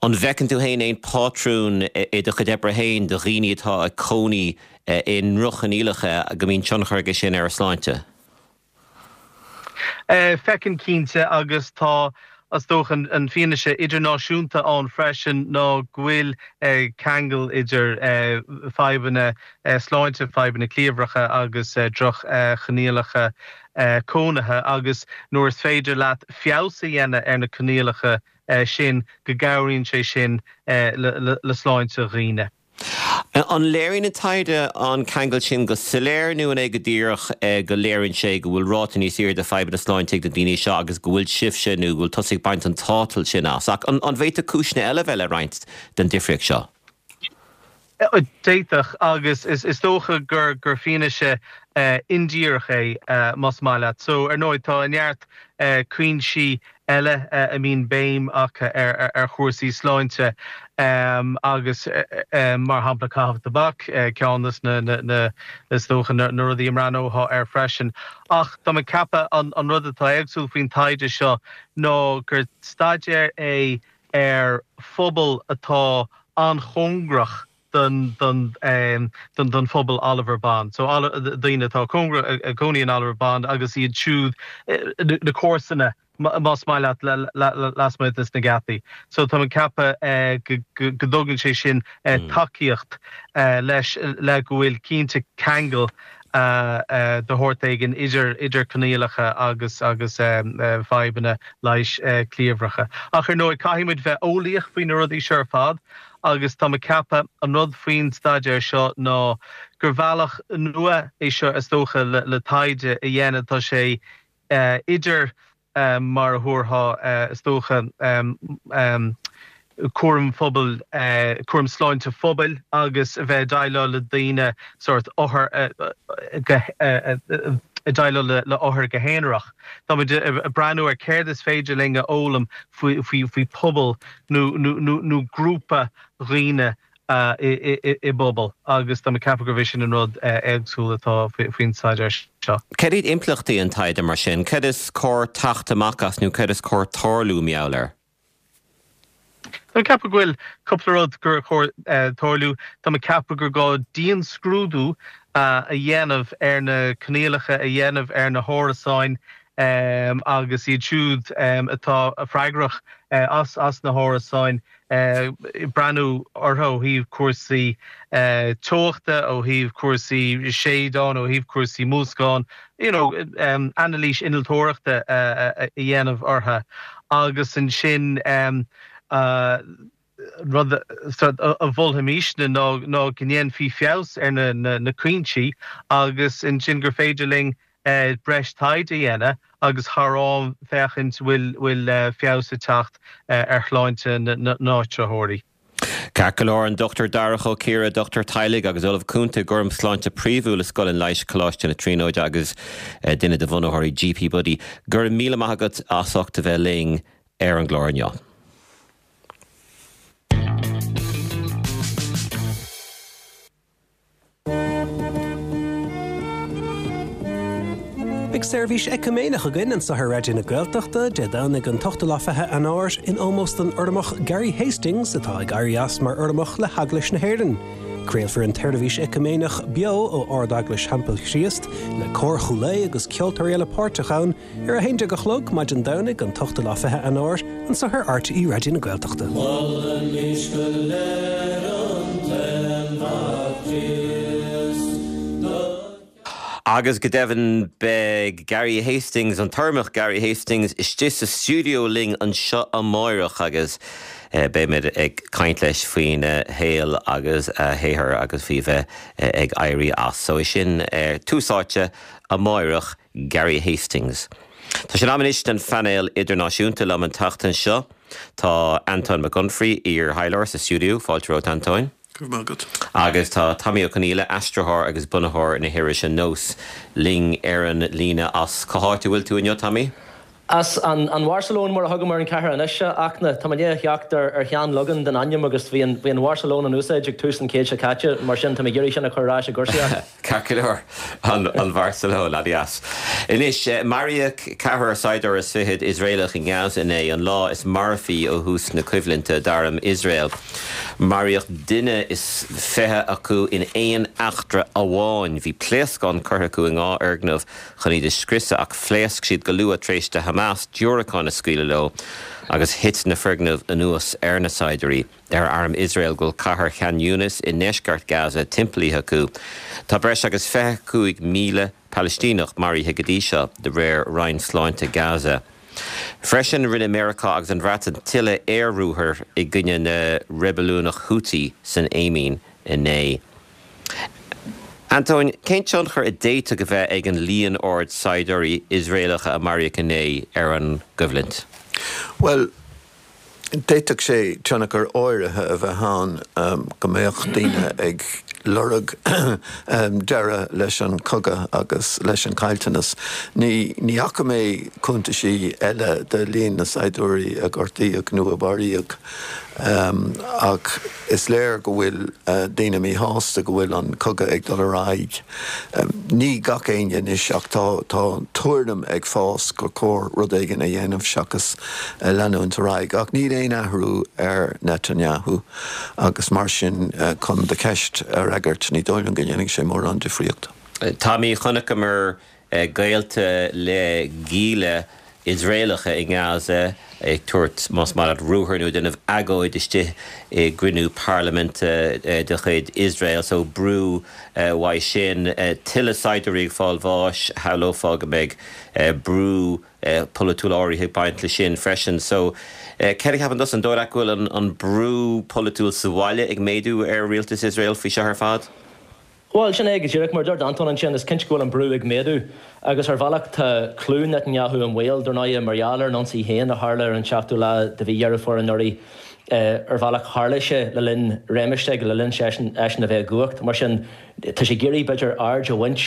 an bhfeiceann tú féin aon pátrún i do chuid oibre féin do dhaoine atá ag cónaí i ndroch-choinníollacha go mbíonn tionchar aige sin ar a sláinte? Feicim cinnte agus tá is dócha an fianaise idirnáisiúnta ann freisin ná go bhfuil ceangal idir fadhbanna sláinte, fadhbanna cliabhracha agus droch-choinníollacha cónaithe agus nuair is féidir leat feabhas a dhéanamh ar na coinníollacha sin go gcabhraíonn sé sin le sláinte dhaoine. An léiríonn an taighde an ceangal sin go soiléir nó an é go díreach go léiríonn sé go bhfuil ráta níos airde fadhbanna sláinte ag na daoine seo agus go bhfuil sibhse nó go bhfuil tusa ag baint an tátal sin as. Ach an bhféadfadh cúiseanna eile bheith le roinnt den difríocht seo? D'fhéadfadh agus is dócha gur gur fianaise indíreach é más maith leat. So ar ndóigh tá neart cúinsí eile a mbíonn béim acu ar ar chúrsaí sláinte agus mar shampla caitheamh tobac ceann de na na is dócha na rudaí a mbreathnófá air freisin. Ach tá mé ag ceapadh an an rud atá éagsúil faoin taighde seo ná gur staidéar é ar phobal atá an-chóngarach don don don don phobal Oliver Bond. So daoine atá cóngarach ag cónaí in Oliver Bond agus iad siúd na comharsana más maith leat lasmuigh des na geataí. So tá mé ag ceapadh go dtugann sé sin tacaíocht leis le go bhfuil cinnte ceangal de shórt éigin idir idir coinníollacha agus agus fadhbanna leighis cliabhracha. Ach ar ndóigh caithfidh muid bheith eolaíoch faoi na rudaí seo ar fad agus tá mé ag ceapadh an rud faoin staidéar seo ná gur bhealach nua é seo is dócha le le taighde a dhéanamh tá sé idir mar a thabharfá is dócha cúram phobail, cúram sláinte phobail agus a bheith ag déileáil le daoine sórt othar ag déileáil le othair go haonarach. Tá muid ag breathnú ar céard is féidir linn a fhoghlaim faoi faoi phobal nó nó grúpa dhaoine i bpobal agus tá mé ag ceapadh gurb é sin an rud éagsúil atá faoin staidéar seo. Cad iad impleachtaí an taighde mar sin? Cad is cóir teacht amach as nó cad is cóir tarlú mar gheall air? Tá mé ag ceapadh go bhfuil cúpla rud gur chóir tarlú. Tá mé ag ceapadh gur gá dianscrúdú a dhéanamh ar na coinníollacha a dhéanamh ar na hárasáin agus iad siúd atá freagrach as as na hárasáin breathnú orthu ó thaobh cúrsaí teochta, ó thaobh cúrsaí séideán, ó thaobh cúrsaí múscán, you know, anailís innealtóireachta a dhéanamh orthu agus ansin rud a mholfaimisne ná ná go ndéanfaí feabhas ar na na cúinsí agus ansin gur féidir linn breis taighde a dhéanamh agus thar am féachaint bhfuil bhfuil feabhas ag teacht ar shláinte na n-áitritheoirí. Ceart go leor, an Dochtúir Darach Ó Ciardha, dochtúir teaghlaigh agus Ollamh Cúnta i gcúram sláinte príomhúil i Scoil an Leighis, Coláiste na Tríonóide agus duine de bhunaitheoirí GP Buddy. Go raibh míle maith agat as ucht a bheith linn ar an gclár inniu. Beidh seirbhís eiciméineach againn anseo ar Raidió na Gaeltachta Dé Domhnaigh an t-ochtú lá fiche Eanáir in ómós don Urramach Gary Hastings atá ag éirí as mar Urramach le hEaglais na hÉireann. Craolfar an tseirbhís eiciméineach beo ó Ard-Eaglais Theampall Chríost le Cór Chúil Aodha agus ceoltóirí eile páirteach ann ar a haon déag a chlog maidin Domhnaigh an t-ochtú lá fiche Eanáir anseo ar RTÉ Raidió na Gaeltachta. Molaimís go léir an tAon-Mhac Críost do. Agus go deimhin beidh Gary Hastings, an tUrramach Gary Hastings, istigh sa stiúideo linn anseo amáireach agus beimid ag caint leis faoina shaol agus a shaothar agus faoi bheith ag éirí as. So é sin tús áite amáireach, Gary Hastings. Tá sé in am anois don phainéal idirnáisiúnta. Liom an tseachtain seo tá Antóin Mac Unfraidh, iar-thaidhleoir, sa stiúideo. Fáilte romhat, Antóin. Go raibh maith agat. Agus tá Tommy Ó Conghaile, aistritheoir agus bunaitheoir na hirise Nós, linn ar an líne as cá háit a bhfuil tú inniu, Tommy? As an an Bharcelóin, mar a thugaim ar an chathair anois, ach tá mé ag teacht ar ar shean-leagan den ainm agus bhí an bhí an Bharcelóin in úsáid ag tús an chéid seo caite, mar sin tá mé ag iarraidh sin a chur ar ais i gcúrsaíocht. Ceart go leor, an an Bharcelóin, an-deas. Anois, maraíodh ceathrar saighdiúir is fichead Iosraelach i nGaza inné, an lá is marfaí ó thús na coimhlinte d'arm Iosrael. Maraíodh duine is fiche acu in aon eachtra amháin. Bhí pléascán curtha acu i dhá fhoirgneamh chun iad a scriosadh ach phléasc siad go luath tar éis do Hamas diúracáin a scaoileadh leo agus thit na foirgnimh anuas ar na saighdiúirí. Deir arm Iosrael go bhfuil cathair Khan Yunis i ndeisceart Gaza timpeallaithe acu. Tá breis agus fiche cúig míle Palaistíneach maraithe go dtí seo, de réir Roinn Sláinte Gaza. Freisin, rinne Meiriceá agus an Bhreatain tuilleadh aer-ruathar i gcoinne na reibiliúnach Houthi san Éimín inné. Antóin, cén tionchar a d'fhéadfadh a bheith ag an líon ard saighdiúirí Iosraelacha a maraíodh inné ar an gcoimhlint? Bhuel, d'fhéadfadh sé tionchar áirithe a bheith ann, go mbeadh daoine ag lorg deireadh leis an chogadh agus leis an chaillteanas. Ní ní fhaca mé cuntaisí eile de líon na saighdiúirí a gortaíodh nó a maraíodh. Ach is léir go bhfuil daoine míshásta go bhfuil an cogadh ag dul ar aghaidh. Ní gach éinne anois ach tá tá tuairim ag fás gur chóir rud éigin a dhéanamh seachas leanúint ar aghaidh. Ach níl aon athrú ar Netanyahu agus mar sin, chun do cheist a fhreagairt, ní dóigh liom go ndéanfaidh sé mórán difríochta. Tommy, chonaiceamar gaolta le gialla Iosraelacha i nGaza ag tabhairt, más maith leat, ruathar nó ag déanamh agóid istigh i gcruinniú parlaiminte de chuid Iosrael. So brú uaidh sin. Tuilleadh saighdiúirí ag fáil bháis, shamhlófá go mbeidh brú polaitiúil áirithe ag baint leis sin freisin. So céard a cheapann tusa, an dóigh leat go bhfuil an brú polaitiúil sa bhaile ag méadú ar rialtas Iosrael faoi seo ar fad? Bhuel, sin é go díreach, mar a dúirt Antóin ansin, is cinnte go bhfuil an brú ag méadú agus ar bhealach tá clú Netanyahu i mbaol, dar ndóigh, mar gheall ar an ionsaí féin a tharla ar an seachtú lá de mhí Dheireadh Fómhair anuraidh. Ar bhealach tharla sé le linn réimeas s'aige, le linn seisean eisean a bheith i gcumhacht. Mar sin, tá sé ag iarraidh, b'fhéidir, aird a bhaint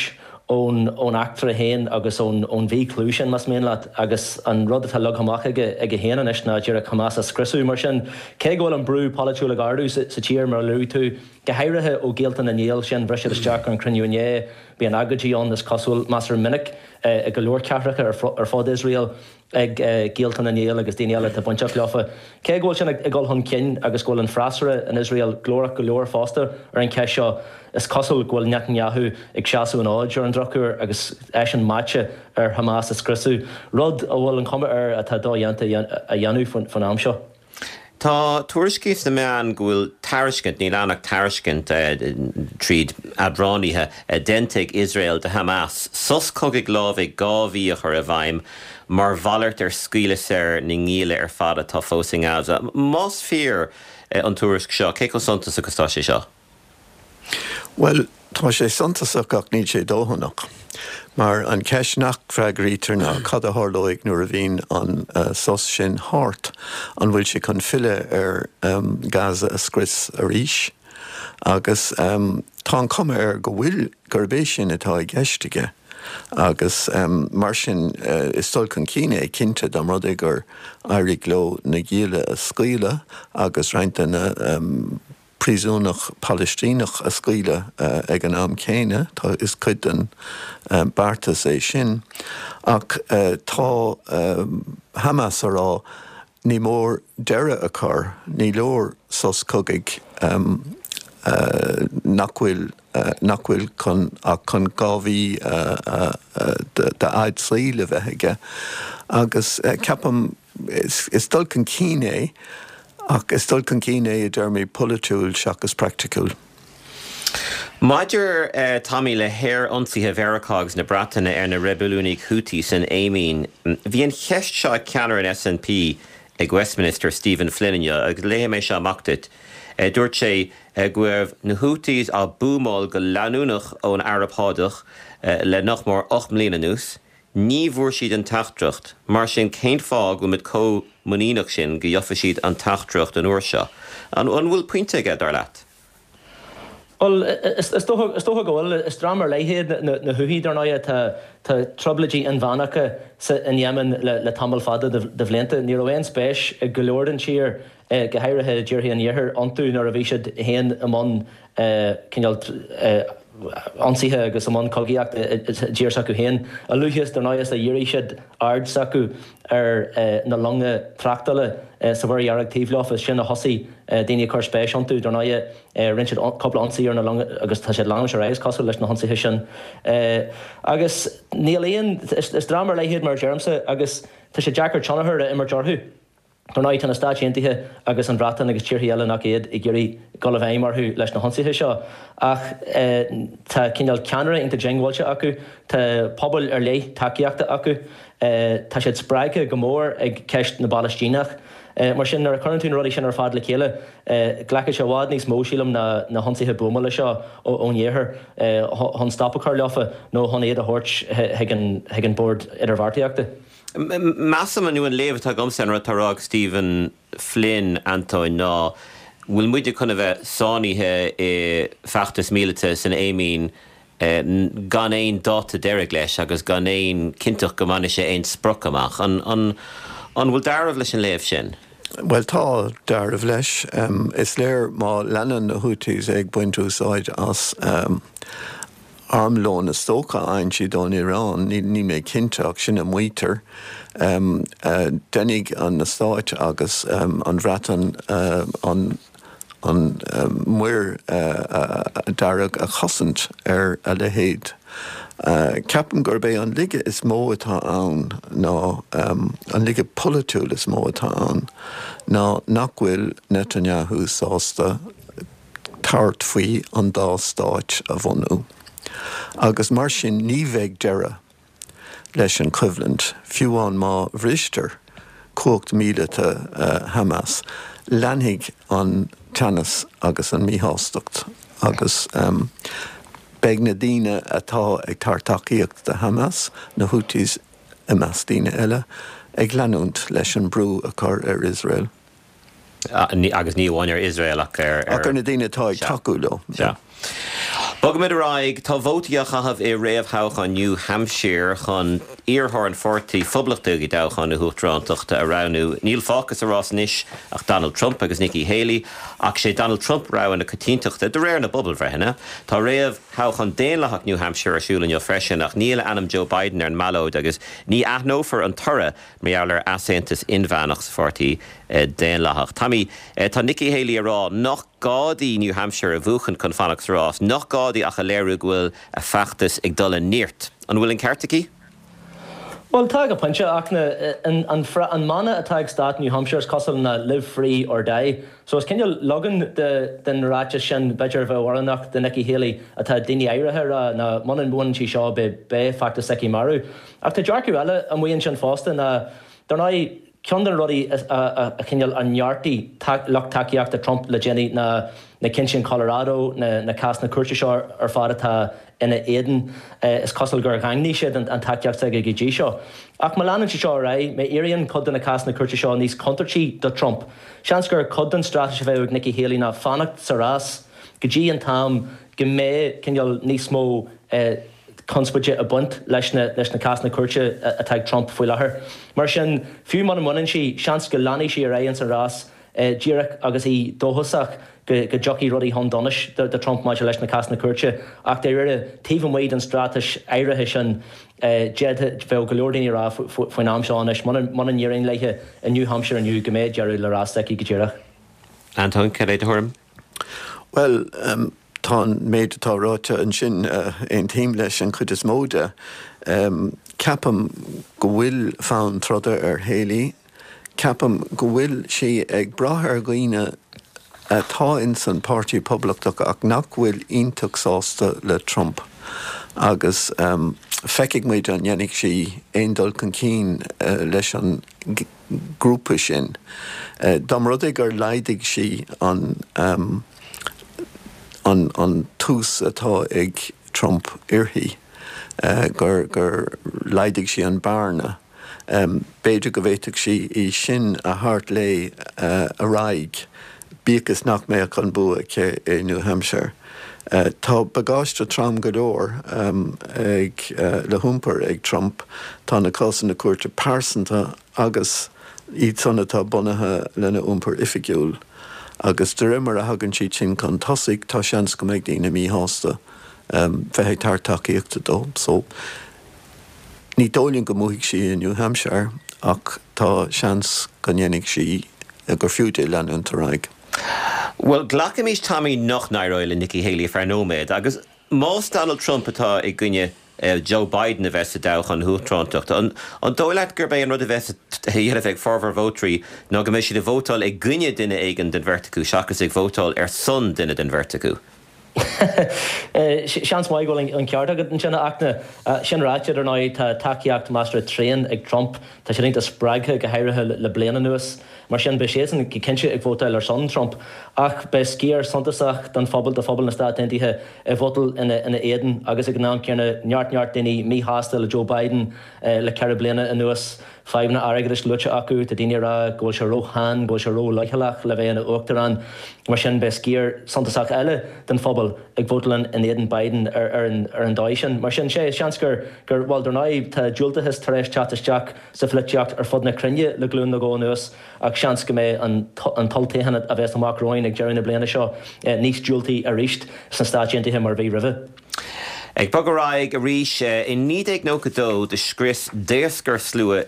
ón ón eachtra féin agus ón ón mhí-chlú sin, más mian leat, agus an rud atá leagtha amach aige aige féin anois ná díreach Hamas a scriosadh. Mar sin, cé go bhfuil an brú polaitiúil ag ardú sa sa tír, mar a luaigh tú, go háirithe ó ghaolta na ngiall sin, bhris siad isteach ar an chruinniú inné, bíonn agóidí ann, is cosúil, measartha minic i go leor cathracha ar fud Iosrael ag gaolta na ngiall agus daoine eile atá bainteach leofa. Cé go bhfuil sin ag dul chun cinn agus go bhfuil an freasúra in Iosrael glórach go leor fosta ar an cheist seo, is cosúil go bhfuil Netanyahu ag seasamh an fhóid ar an drochuair agus eisean meáite ar Hamas a scriosadh, rud a bhfuil an chuma air atá dodhéanta a dhéanamh faoin am seo. Tá tuairiscí sna meáin go bhfuil tairiscint, níl ann ach tairiscint, tríd eadránaithe, déanta ag Iosrael do Hamas sos cogaidh lámhaigh dhá mhí a chur i bhfeidhm mar mhalairt ar scaoileadh saor na ngialla ar fad atá fós i nGaza. Más fíor an tuairisc seo, cé chomh suntasach is atá sé seo? Bhuel, tá sé suntasach ach níl sé dóthanach. Mar an cheist nach bhfreagraítear ná cad a tharlóidh nuair a bhíonn an sos sin thart? An bhfuil sé chun filleadh ar Gaza a scrios arís? Agus tá an chuma air go bhfuil, gurb é sin atá i gceist aige. Agus mar sin is dul chun cinn é cinnte dá mba rud é gur éirigh leo na gialla a scaoileadh agus roinnt de na príosúnach Palaistíneach a scaoileadh ag an am céanna. Tá, is cuid den beartas é sin. Ach tá Hamas a rá, ní mór deireadh a chur, ní leor sos cogaidh nach bhfuil nach bhfuil chun ach chun dhá mhí d'fhad saoil a bheith aige. Agus ceapaim, is dul chun cinn é Ach is dul chun cinn é i dtéarmaí polaitiúil seachas praiticiúil. Maidir, Tommy, le haer-ionsaithe Mheiriceá agus na Breataine ar na reibiliúnaigh Houthi san Éimín, bhí an cheist seo ag ceannaire an S N P ag Westminster, Stephen Flynn inniu, agus léifidh mé seo amach duit. Dúirt sé go raibh na Houthis á buamáil go leanúnach ón Araib Shádach le nach mór ocht mbliana anuas. Ní bhfuair siad an teachtaireacht, mar sin cén fáth go bhfuil muid chomh muiníneach sin go gheofaidh siad an teachtaireacht an uair seo? An bhfuil pointe aige, dar leat? Bhuel, is dócha go bhfuil. Is dream ar leith iad na Houthi, dar ndóigh. Tá trioblóidí inmheánacha in Yemen le tamall fada de bhlianta. Ní raibh aon spéis ag go leor den tír, go háirithe tíortha an Iarthair, iontu nuair a bhí siad féin i mbun cineál ionsaithe agus i mbun cogaíochta i dtír s'acu féin. A luaithe is, dar ndóigh, is a dhírigh siad aird s'acu ar na longa tráchtála sa Mhuir Dhearg taobh leofa, is sin a thosaigh daoine ag cur spéis iontu. Dar ndóigh, rinne siad cúpla ionsaí ar na longa agus tá siad ag leanúint ar aghaidh, is cosúil, leis na hionsaithe sin. Agus níl aon, is dream ar leith iad mar a deirimse agus tá sé deacair tionchar a imirt orthu. Dar ndóigh, tá na Stáit Aontaithe agus an Bhreatain agus tíortha eile nach iad ag iarraidh dul i bhfeidhm orthu leis na hionsaithe seo ach tá cineál ceannaire iontach diongbháilte acu, tá pobail ar leith tacaíochta acu, tá siad spreagtha go mór ag ceist na bPalaistíneach. Mar sin, nuair a chuireann tú na rudaí sin ar fad le chéile, glacfaidh sé i bhfad níos mó, sílim, ná na hionsaithe buamála seo ón iarthar chun stop a chur leofa nó chun iad a thabhairt chuig an bord idirbheartaíochta. Measaim, nó an léamh atá agamsa ar an rud atá á rá ag Stephen Flynn, Antóin, ná bhfuil muide chun a bheith sáinnithe i bhfeachtas míleata san Éimín gan aon dáta deiridh leis agus gan aon cinnteacht go mbainfidh sé aon sprioc amach. An an bhfuil dealramh leis an léamh sin? Bhuel, tá dealramh leis. Is léir má leanann na Houthis ag baint úsáid as armlón is dócha a fhaigheann siad ón Iaráin, níl mé cinnte ach sin a maítear. Déanfaidh na Stáit agus an Bhreatain an an Muir Dearg a chosaint ar a leithéid. Ceapaim gurb é an laige is mó atá ann ná, an laige polaitiúil is mó atá ann, ná nach bhfuil Netanyahu sásta tabhairt faoi an dá stáit a bhunú. Agus mar sin ní bheidh deireadh leis an choimhlint, fiú amháin má bhristear cumhacht míleata Hamas, leanfaidh an teannas agus an mhíshástacht agus beidh na daoine atá ag tabhairt tacaíocht do Hamas, na Houthis i measc daoine eile, ag leanúint leis an brú a chur ar Iosrael. Agus ní amháin ar Iosrael ach ar. Ach ar na daoine atá ag tacú leo. Sea. Bogaimid ar aghaidh. Tá vótaí á chaitheamh i réamhthoghchán New Hampshire chun iarrthóir an Pháirtí Phoblachtaigh i dtoghchán na huachtarántachta a roghnú. Níl fágtha sa rás anois ach Donald Trump agus Nikki Haley, ach sé Donald Trump rogha na coitiantachta de réir na bpobalbhreitheanna. Tá réamhthoghchán Daonlathach New Hampshire ar siúl inniu freisin ach níl ainm Joe Biden ar an mballóid agus ní aithneofar an toradh mar gheall ar easaontas inmheánach sa pháirtí Daonlathach. Tommy, tá Nikki Haley ag rá nach gá di New Hampshire a bhuachan chun fanacht sa rás, nach gá di ach a léiriú go bhfuil a feachtas ag dul i neart. An bhfuil an ceart aici? Bhuel, tá go pointe, ach an mana atá ag stát New Hampshire is cosúil ná live free or die. So is cineál leagan den ráiteas sin, b'fhéidir, a bheadh oiriúnach do Nikki Haley, atá daoine áirithe ag rá, ná muna mbuann sí seo beidh beidh feachtas s'aici marbh. Ach tá dearcadh eile amuigh ansin fosta ná, dar ndóigh, ceann de na rudaí a chineál a neartaigh lucht tacaíochta Trump le déanaí ná na cinntí in Colorado, na cásanna cúirte seo ar fad atá ina éadan. Is cosúil gur dhaingnigh siad an tacaíocht s'aige go dtí seo. Ach má leanann sé seo ar aghaidh, má éiríonn cuid de na cásanna cúirte seo níos contúirtí do Trump, seans gur cuid den straitéis a bheadh ag Nikki Haley ná fanacht sa rás go dtí an t-am go mbeidh cineál níos mó conspóide ag baint leis na leis na cásanna cúirte atá ag Trump faoi láthair. Mar sin, fiú muna mbaineann sí, seans go leanfaidh sí ar aghaidh ins an rás díreach agus í dóchasach go go dtiocfaidh rudaí chun donais do Trump maidir leis na cásanna cúirte. Ach dáiríre, taobh amuigh den straitéis áirithe sin, d'fhéadfadh, bheadh go leor daoine ag rá faoin am seo anois, muna muna n-éiríonn léi i New Hampshire inniu, go mbeidh deireadh le rás s'aici go díreach. Antóin, cad é do thuairim? Bhuel, tá an méid atá ráite ansin, aontaím leis an chuid is mó de. Ceapaim go bhfuil fonn troda ar Haley. Ceapaim go bhfuil sí ag brath ar dhaoine atá ins an Páirtí Poblachtach ach nach bhfuil iontach sásta le Trump agus feicfidh muid an ndéanfaidh sí aon dul chun cinn leis an grúpa sin. Dá mba rud é gur laghdaigh sí an an tús atá ag Trump uirthi, gur gur laghdaigh sí an bearna. B'fhéidir go bhféadfadh sí í sin a thabhairt léi ar aghaidh, bíodh is nach mbeadh an bua aici i New Hampshire. Tá bagáiste trom go leor ag le hiompar ag Trump. Tá na cásanna cúirte pearsanta agus iad san atá bunaithe lena iompar oifigiúil. Agus de réir mar a thagann siad sin chun tosaigh, tá seans go mbeidh daoine míshásta bheith ag tabhairt tacaíochta dó. So, ní dóigh liom go mbuafaidh sí i New Hampshire ach tá seans go ndéanfaidh sí, gur fiú di leanúint ar aghaidh. Bhuel, glacaimis, Tommy, nach n-éireoidh le Nikki Haley ar feadh nóiméad agus más Donald Trump atá i gcoinne Joe Biden a bheith sa toghchán uachtarántachta, an dóigh leat gurb é an rud a bheas á dhéanamh ag formhór vótóirí ná go mbeidh siad ag vótáil i gcoinne duine éigin den bheirt acu seachas ag vótáil ar son duine den bheirt acu? Seans maith go bhfuil an ceart agat ansin, a Fhachtna. Sin ráite, ar ndóigh, tá tacaíocht measartha tréan ag Trump. Tá sé iontach spreagtha, go háirithe le bliain anuas. Mar sin, beidh siadsan go cinnte ag vótáil ar son Trump. Ach beidh sciar suntasach den phobal, de phobal na Stát Aontaithe, ag vótáil ina éadan agus ag an am céanna neart neart daoine míshásta le Joe Biden le ceithre bliana anuas. Fadhbanna airgeadais luaite acu, tá daoine ag rá go bhfuil sé róshean, go bhfuil sé róleochaileach le bheith ina uachtarán. Mar sin, beidh sciar suntasach eile den phobal ag vótáil in éadan Biden ar an dóigh sin. Mar sin, sé, seans gur, gur, bhuel, dar ndóigh, tá diúltachas tar éis teacht isteach sa pholaitíocht ar fud na cruinne le glúin nó dhó anuas ach seans go mbeidh an an t-olltoghchán a bheas amach romhainn ag deireadh na bliana seo níos diúltaí arís sna Stáit Aontaithe mar a bhí roimhe. Ag bogadh ar aghaidh arís, i naoi déag nócha dó do scrios daoscarslua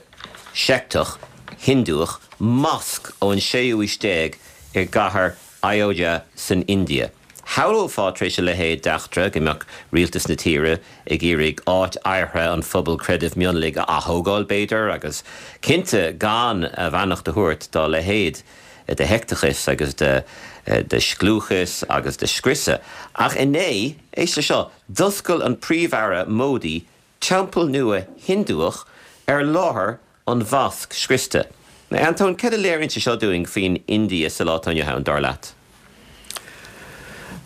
seicteach Hiondúch masc ón séú haois déag i gcathair Ayodhya san India. Shamhlófá tar éis a leithéid d'eachtra go mbeadh rialtas na tíre ag iarraidh áit adhartha an phobail creidimh mionlaigh a ath-thógáil, b'fhéidir, agus cinnte gan a bheannacht a thabhairt dá leithéid de sheicteachas agus de scliúchas agus de scriosadh. Ach inné, éist le seo, d'oscail an Príomh-Aire Modi teampall nua Hiondúch ar láthair an mhosc scriosta. Antóin, céard a léiríonn sé seo dúinn faoin India sa lá atá inniu ann, dar leat?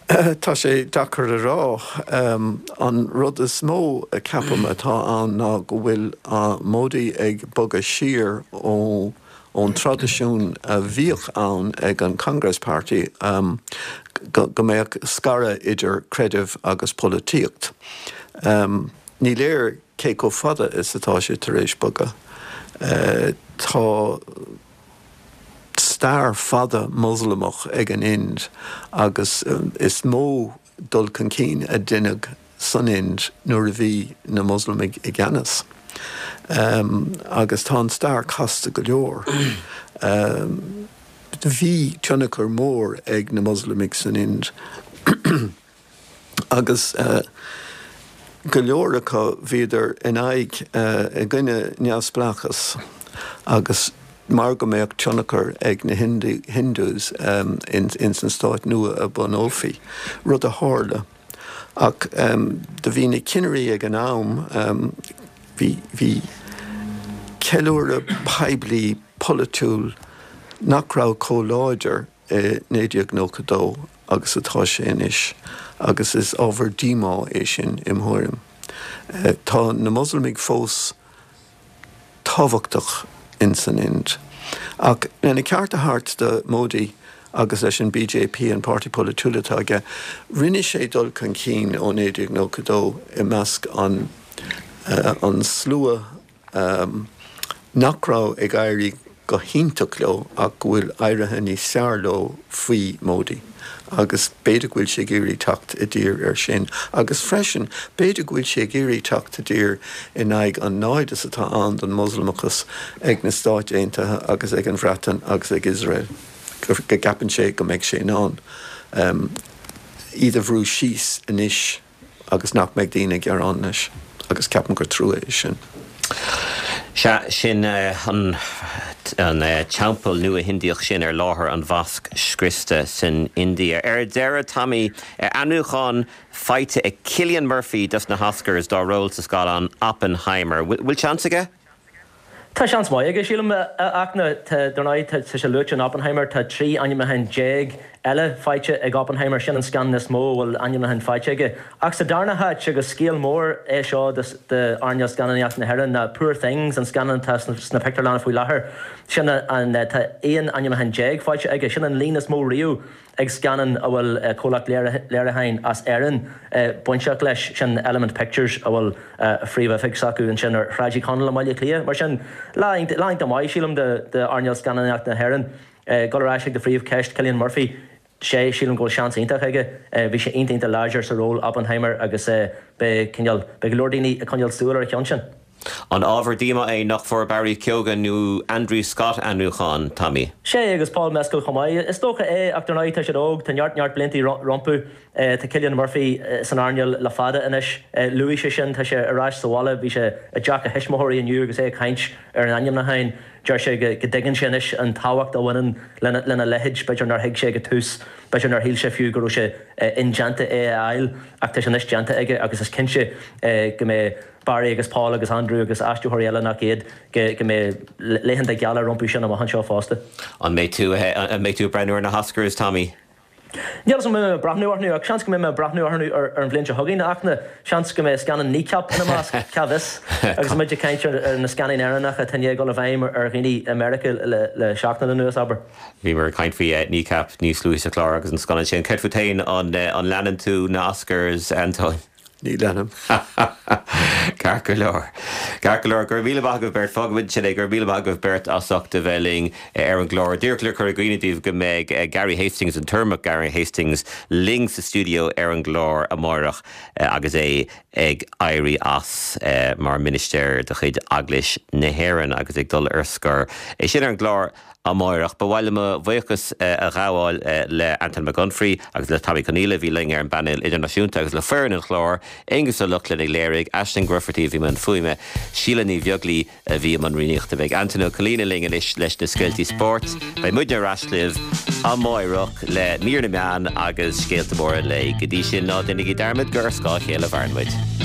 Tá sé deacair a rá. An rud is mó, ceapaim, atá ann ná go bhfuil Modi ag bogadh siar ó ón traidisiún a bhíodh ann ag an Congress Party go mbeadh scaradh idir creideamh agus polaitíocht. Ní léir cé chomh fada is atá sé tar éis bogadh. Tá stair fada Moslamach ag an Ind agus is mó dul chun cinn a deineadh san Ind nuair a bhí na Moslamaigh i gceannas. Agus tá an stair casta go leor. Bhí tionchar mór ag na Moslamaigh san Ind agus go leor acu bhíodar in aghaidh, i gcoinne neamhspleáchas agus mar go mbeadh tionchar ag na Hindus ins an stát nua a bhunófaí, rud a tharla. Ach do bhí na cinnirí ag an am, bhí, bhí ceiliúradh poiblí polaitiúil nach raibh chomh láidir i naoi déag nócha dó agus atá sé anois agus is ábhar díomá é sin im thuairim. Tá na Moslamaigh fós tábhachtach in san Ind. Ach lena cheart a thabhairt do Modi agus leis an BJP, an páirtí polaitiúil atá aige, rinne sé dul chun cinn ó naoi déag nócha dó i measc an an slua nach raibh ag éirí go hiontach leo ach go bhfuil éirithe níos fearr leo faoi Modi agus b'fhéidir go bhfuil sé ag iarraidh teacht i dtír air sin agus freisin b'fhéidir go bhfuil sé ag iarraidh teacht i dtír in aghaidh an naimhdeas atá ann don Mhoslamachas ag na Stáit Aontaithe agus ag an Bhreatain agus ag Iosrael go gceapann sé go mbeidh sé in ann iad a bhrú síos anois. agus nach mbeidh daoine ag gearán leis, agus ceapaim gur trua é sin. Sea, sin an teampall nua Hindiach sin ar láthair an mhosc scriosta san India. Ar deireadh, Tommy, ainmniúchán faighte ag Cillian Murphy dos na hOscars dá ról sa scannán Oppenheimer. Bhfuil seans aige? Tá seans maith aige, sílim, a Fhachtna. Tá, dar ndóigh, tá sé luaite in Oppenheimer, tá trí ainmniúchán déag eile faighte ag Oppenheimer, sin an scannán is mó a bhfuil ainmniúcháin faighte aige. Ach sa darna háit, agus scéal mór é seo d'earnáil scannánaíocht na hÉireann, ná Poor Things, an scannán atá sna pictiúrlanna faoi láthair, sin an, tá aon ainmniúchán déag faighte aige, sin an líon is mó riamh ag scannán a bhfuil comhlacht léiriúcháin as Éirinn bainteach leis, sin Element Pictures a bhfuil a phríomhoifig s'acu ansin ar Shráid Uí Chonaill i mBaile Átha Cliath. Mar sin, lá iontach maith, sílim, d'earnáil scannánaíocht na hÉireann. Dul ar ais ag do phríomhcheist, Cillian Murphy, sea, sílim go bhfuil seans iontach aige. Bhí sé iontach iontach láidir sa ról Oppenheimer agus beidh cineál, beidh go leor daoine ag coinneáil súil ar a cheann sin. An ábhar díomá é nach bhfuair Barry Keoghan nó Andrew Scott ainmniúchán, Tommy? Sea, agus Paul Mescal chomh maith. Is dócha é, ach dar ndóigh tá siad óg, tá neart neart blianta rompu. Tá Cillian Murphy san earnáil le fada anois. Luaigh sé sin, tá sé ar ais sa bhaile, bhí sé i dteach a thuismitheoirí inniu agus é ag caint ar an ainmniúchán. Deir sé go dtuigeann sé anois an tábhacht a bhaineann lena leithéid, b'fhéidir nár thuig sé ag an tús, b'fhéidir nár shíl sé fiú go raibh sé indéanta é a fháil ach tá sé anois déanta aige agus is cinnte go mbeidh Barry agus Paul agus Andrew agus aistritheoirí eile nach iad, go mbeidh laethanta geala rompu sin amach anseo fosta. An mbeidh tú an mbeidh tú ag breathnú ar na hOscars, Tommy? Níl 'fhios an mbeidh mé ag breathnú orthu ach seans go mbeidh mé ag breathnú orthu ar an bhliain seo chugainn, ach na, seans go mbeidh scannán Kneecap ina measc, cá bhfios? Agus muid ag caint ar na scannáin Éireannacha atá i ndiaidh dul i bhfeidhm ar dhaoine i Meiriceá le seachtain anuas, abair. Bhíomar ag caint faoi Kneecap níos luaithe sa chlár agus an scannán sin. Céard fút féin, an leanann tú na Oscars, Antóin? Ní leanaim. Ceart go leor. Ceart go leor. Go raibh míle maith agaibh beirt. Fágfaimid sin é. Go raibh míle maith agaibh beirt as ucht a bheith linn ar an gclár. Díreach le cur i gcuimhne daoibh go mbeidh Gary Hastings, an tUrramach Gary Hastings, linn sa stiúideo ar an gclár amárach agus é ag éirí as mar mhinistéir de chuid Eaglais na hÉireann agus ag dul ar scor. É sin ar an gclár amárach. Ba mhaith liom mo bhuíochas a ghabháil le Anton Mac Unfraidh agus le Tommy Conghaile a bhí linn ar an bpainéal idirnáisiúnta agus le foireann an chláir, Aengus Ó Lochlainn a léirigh, Aisling Grufferty a bhí i mbun fuaime, Síle Ní Bheaglaoich a bhí i mbun rúnaíochta. Beidh Antain Ó Coilín linn anois leis na scéaltaí spóirt. Beidh muidne ar ais libh amárach le mír na meán agus scéalta móra an lae. Go dtí sin, ná déanaigí dearmad gur ar scáth a chéile a mhaireann muid.